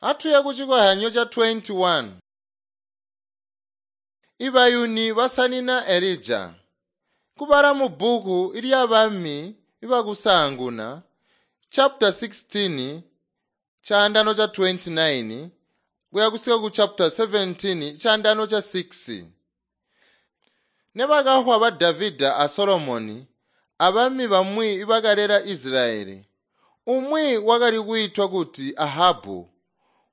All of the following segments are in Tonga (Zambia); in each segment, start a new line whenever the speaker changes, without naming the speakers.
Atuye kucikohyanyo ca 21. Ibayuni basanina Elija. Kubala mu bbuku lya Bami ibakusaanguna chapter 16 chaandano cha 29 kuya kusika ku chapter 17 chaandano cha 6. Nebakahwa ba Davida a Solomoni abami bamwi ibakalela Israeli. Umwi wakali kwiitwa kuti Ahabu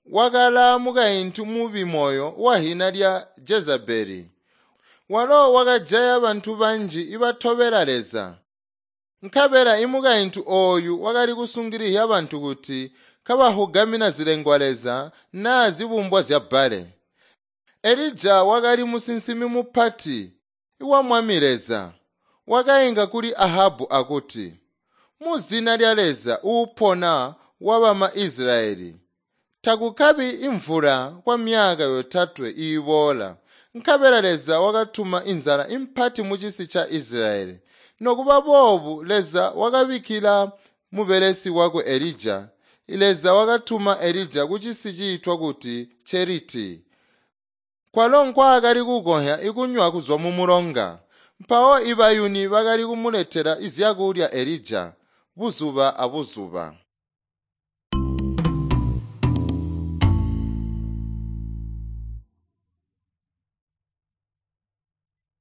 wakala mukaintu mubi moyo wahina lya Jezebeli. Walo wakajaya bantu banji ibatobela Leza. Nkabela imukaintu ooyu wakali kusungilihya bantu kuti kabahugamina zilengwa Leza naa zibumbwa zya Bbaale. Elija wakali musinsimi mupati wa Mwami Leza. Wakainka kuli Ahabu akuti, “Muzina lya Leza uupona wabama Israeli, takukabi imvula kwamyaka yotatwe iiboola.” Nkabela Leza wakatuma inzala impati mucisi ca Israeli. Nokuba boobu Leza wakabikkila mubelesi wakwe Elija. Leza wakatuma Elija kucisi ciitwa kuti Cheriti, kwalo nkwaakali kukonhya ikunywa kuzwa mumulonga. Mpawo ibayuni bakali kumuletela zyakulya Elija buzuba abuzuba.